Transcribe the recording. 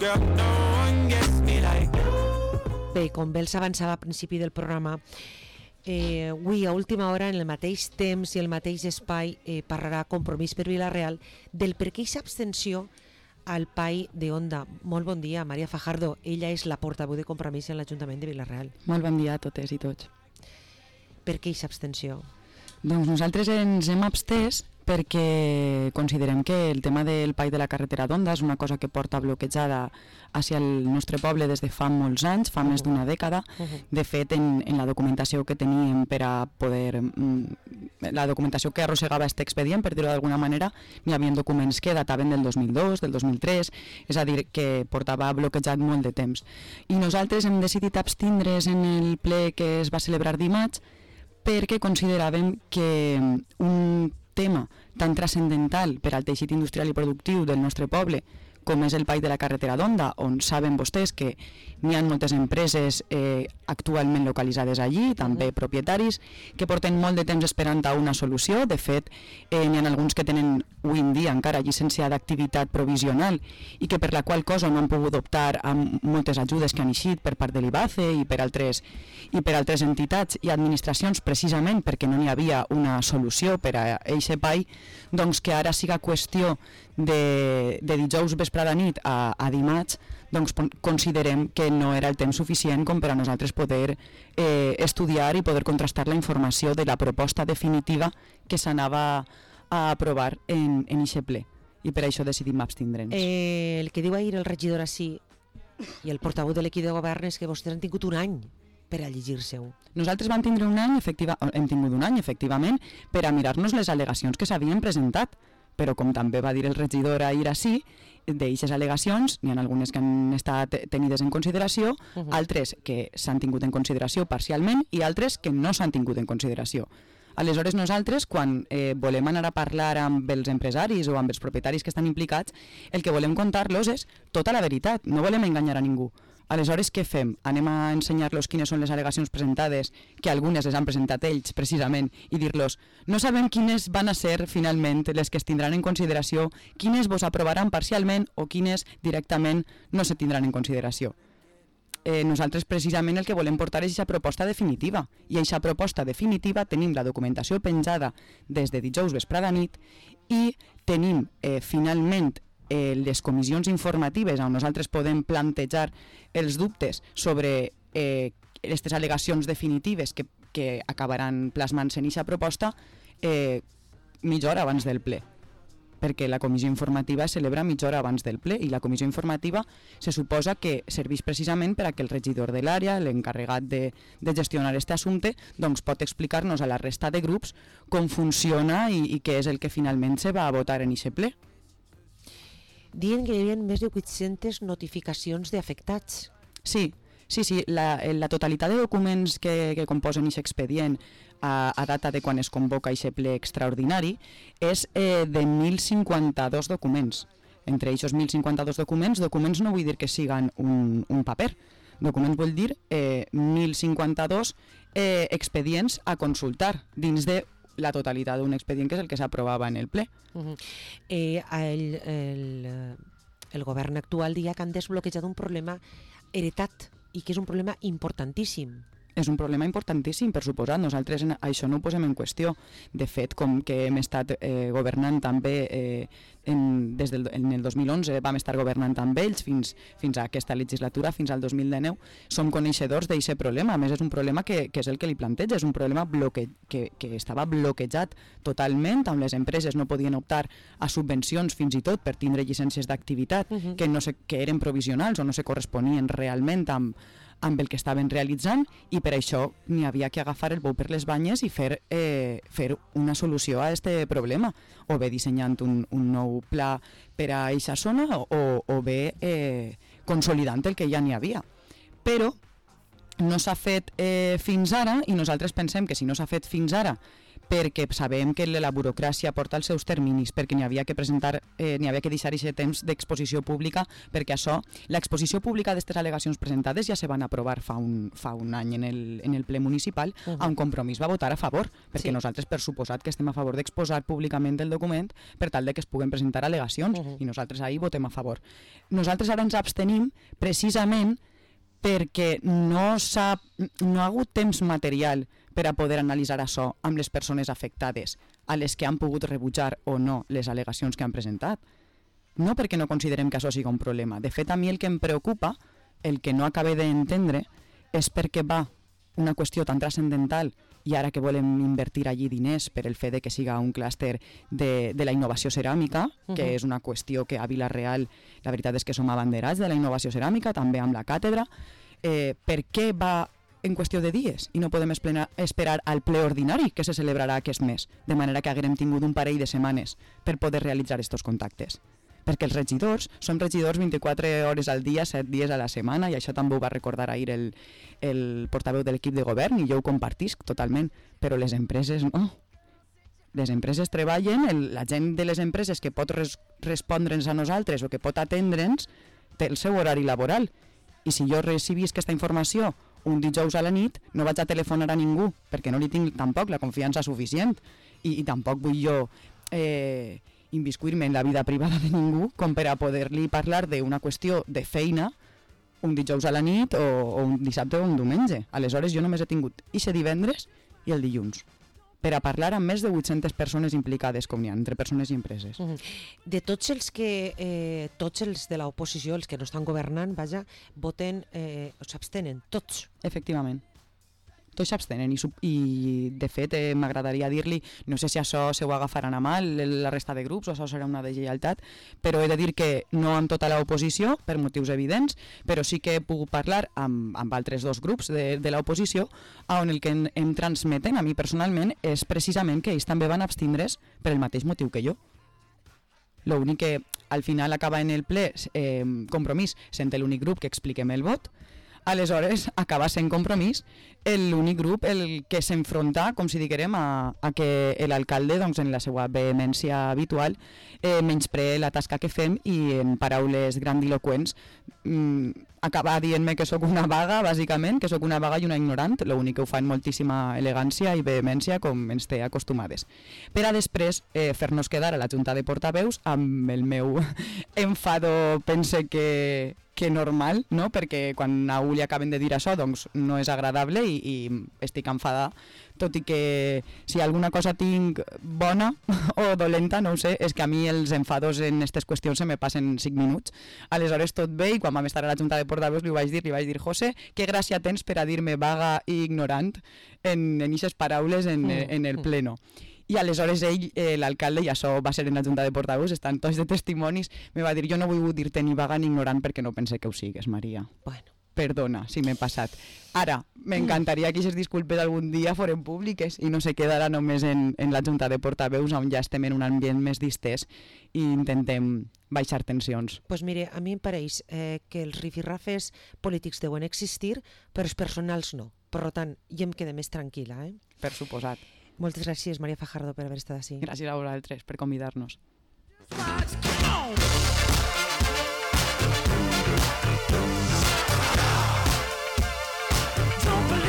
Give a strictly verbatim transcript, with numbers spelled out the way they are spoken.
Bé, com bé els avançava a principi del programa, eh, avui a última hora, en el mateix temps i el mateix espai, eh, parlarà Compromís per Vila-real del per què aquesta abstenció al P A I de Onda. Molt bon dia, Maria Fajardo. Ella és la portaveu de Compromís en l'Ajuntament de Vila-real. Molt bon dia a totes i tots. Per què aquesta abstenció? Doncs nosaltres ens hem abstès perquè considerem que el tema del P A I de la carretera d'Onda és una cosa que porta bloquejada hacia el nostre poble des de fa molts anys, fa uh-huh. més d'una dècada. Uh-huh. De fet, en, en la documentació que teníem per a poder... la documentació que arrossegava aquest expedient, per dir-ho d'alguna manera, n'hi havia documents que dataven del dos mil dos, del dos mil tres, és a dir, que portava bloquejat molt de temps. I nosaltres hem decidit abstindre's en el ple que es va celebrar dimarts perquè consideràvem que un tema tan transcendental per al teixit industrial i productiu del nostre poble com és el P A I de la carretera d'Onda, on saben vostès que n'hi ha moltes empreses eh, actualment localitzades allí, també uh-huh. propietaris, que porten molt de temps esperant a una solució. De fet, eh, n'hi ha alguns que tenen avui en dia encara llicència d'activitat provisional i que per la qual cosa no han pogut optar a moltes ajudes que han eixit per part de l'I B A C E i per altres, i per altres entitats i administracions, precisament perquè no n'hi havia una solució per a aquest P A I, doncs que ara siga qüestió de, de dijous vesprada nit a, a dimarts, doncs considerem que no era el temps suficient com per a nosaltres poder eh, estudiar i poder contrastar la informació de la proposta definitiva que s'anava a aprovar en, en eixe ple. I per això decidim abstindre'ns. Eh, el que diu ahir el regidor així i el portaveu de l'equip de govern és que vostès han tingut un any per a llegir-se-ho. Nosaltres vam tindre un any, efectiva, hem tingut un any, efectivament, per a mirar-nos les al·legacions que s'havien presentat. Però com també va dir el regidor ahir així, d'eixes al·legacions, n'hi ha algunes que han estat tenides en consideració, uh-huh. altres que s'han tingut en consideració parcialment i altres que no s'han tingut en consideració. Aleshores nosaltres, quan eh, volem anar a parlar amb els empresaris o amb els propietaris que estan implicats, el que volem contar-los és tota la veritat, no volem enganyar a ningú. Aleshores, què fem? Anem a ensenyar-los quines són les al·legacions presentades, que algunes les han presentat ells, precisament, i dir-los, no sabem quines van a ser, finalment, les que es tindran en consideració, quines vos aprovaran parcialment o quines directament no se tindran en consideració. Eh, nosaltres, precisament, el que volem portar és aquesta proposta definitiva, i aquesta proposta definitiva tenim la documentació penjada des de dijous vesprada nit i tenim, eh, finalment, Eh, les comissions informatives on nosaltres podem plantejar els dubtes sobre eh, aquestes al·legacions definitives que, que acabaran plasmant-se en aquesta proposta eh, mitja hora abans del ple, perquè la comissió informativa es celebra mitja hora abans del ple i la comissió informativa se suposa que serveix precisament per a que el regidor de l'àrea, l'encarregat de, de gestionar aquest assumpte, doncs pot explicar-nos a la resta de grups com funciona i, i què és el que finalment se va a votar en aquest ple. Dient que hi havia més de vuit-centes notificacions d'afectats. Sí, sí, sí. La, la totalitat de documents que, que composen aquest expedient a, a data de quan es convoca aquest ple extraordinari és eh, de mil cinquanta-dos documents. Entre aquests mil cinquanta-dos documents, documents no vull dir que siguen un, un paper. Documents vull dir eh, mil cinquanta-dos eh, expedients a consultar dins de la totalitat d'un expedient que és el que s'aprovava en el ple. Uh-huh. eh, el, el, el govern actual dia que han desbloquejat un problema heretat i que és un problema importantíssim. És un problema importantíssim, per suposat. Nosaltres en, això no ho posem en qüestió. De fet, com que hem estat eh, governant també eh, en, des del en el dos mil onze, vam estar governant amb ells fins, fins a aquesta legislatura, fins al dos mil dinou, som coneixedors d'aquest problema. A més, és un problema que, que és el que li planteja, és un problema bloque, que, que estava bloquejat totalment, on les empreses no podien optar a subvencions fins i tot per tindre llicències d'activitat uh-huh. que, no se, que eren provisionals o no se corresponien realment amb amb el que estaven realitzant i per això n'hi havia que agafar el bou per les banyes i fer, eh, fer una solució a aquest problema, o bé dissenyant un, un nou pla per a aquesta zona o, o bé eh, consolidant el que ja n'hi havia. Però no s'ha fet eh, fins ara i nosaltres pensem que si no s'ha fet fins ara perquè sabem que la burocràcia porta els seus terminis, perquè n'hi havia que presentar, eh, n'hi havia que deixar aquest temps d'exposició pública, perquè això, l'exposició pública d'aquestes al·legacions presentades ja se van aprovar fa un, fa un any en el, en el ple municipal, uh -huh. on Compromís va votar a favor, perquè sí. nosaltres, per suposat, que estem a favor d'exposar públicament el document per tal de que es puguen presentar al·legacions, uh -huh. i nosaltres ahir votem a favor. Nosaltres ara ens abstenim precisament perquè no, s'ha, no ha hagut temps material per a poder analitzar això amb les persones afectades, a les que han pogut rebutjar o no les al·legacions que han presentat. No perquè no considerem que això sigui un problema. De fet, a mi el que em preocupa, el que no acabe d'entendre, és perquè va una qüestió tan transcendental i ara que volem invertir allí diners per el fet de que siga un clúster de, de la innovació ceràmica, uh-huh. que és una qüestió que a Vila-real la veritat és que som abanderats de la innovació ceràmica, també amb la càtedra. Eh, per què va en qüestió de dies i no podem esplena, esperar al ple ordinari que se celebrarà aquest mes, de manera que haguem tingut un parell de setmanes per poder realitzar aquests contactes? Perquè els regidors som regidors vint-i-quatre hores al dia, set dies a la setmana, i això també ho va recordar ahir el, el portaveu de l'equip de govern, i jo ho compartisc totalment, però les empreses no. Les empreses treballen, el, la gent de les empreses que pot res, respondre'ns a nosaltres o que pot atendre'ns té el seu horari laboral. I si jo recibisc aquesta informació un dijous a la nit, no vaig a telefonar a ningú, perquè no li tinc tampoc la confiança suficient, i, i tampoc vull jo eh, inviscuir-me en la vida privada de ningú com per a poder-li parlar d'una qüestió de feina un dijous a la nit o, o un dissabte o un diumenge. Aleshores jo només he tingut ixe divendres i el dilluns per a parlar amb més de vuit-centes persones implicades, com n'hi ha, entre persones i empreses. Uh -huh. De tots els que, eh, tots els de l'oposició, els que no estan governant, vaja, voten, eh, o s'abstenen, tots. Efectivament. Tots s'abstenen i, i de fet eh, m'agradaria dir-li, no sé si això se ho agafaran a mal la resta de grups o això serà una deslleialtat, però he de dir que no amb tota l'oposició, per motius evidents, però sí que he pogut parlar amb, amb altres dos grups de, de l'oposició, on el que em, em transmeten a mi personalment és precisament que ells també van abstindre's per el mateix motiu que jo. L'únic que al final acaba en el ple eh, Compromís sent l'únic grup que expliquem el vot. Aleshores acaba sent Compromís l'únic grup el que s'enfronta, com si diguérem, a, a que l'alcalde, doncs, en la seva vehemència habitual, eh, menysprea la tasca que fem i en paraules grandiloquents mm, acaba dient-me que sóc una vaga, bàsicament, que sóc una vaga i una ignorant, l'únic que ho fa en moltíssima elegància i vehemència, com ens té acostumades. Per a després eh, fer-nos quedar a la Junta de Portaveus amb el meu enfado, pense que que normal, no? Perquè quan a un li acaben de dir això, doncs no és agradable i, i estic enfadada, tot i que si alguna cosa tinc bona o dolenta, no ho sé, és que a mi els enfados en aquestes qüestions se me passen cinc minuts. Aleshores tot bé, i quan vam estar a la Junta de Portaveus li vaig dir, li vaig dir, José, que gràcia tens per a dir-me vaga i ignorant en aquestes paraules en, mm. en el pleno. I aleshores ell, eh, l'alcalde, i això va ser en la Junta de Portaveus, estan tots de testimonis, me va dir, jo no vull dir-te ni vaga ni ignorant perquè no pense que ho sigues, Maria. Bueno. Perdona si m'he passat. Ara, m'encantaria que aquestes disculpes algun dia foren públiques i no se quedara només en, en la Junta de Portaveus, on ja estem en un ambient més distès i intentem baixar tensions. Doncs pues mire, a mi em pareix eh, que els rifirrafes polítics deuen existir, però els personals no. Per tant, jo em quedé més tranquil·la. Eh? Per suposat. Moltes gràcies, Maria Fajardo, per haver estat així. Gràcies a vosaltres per convidar-nos.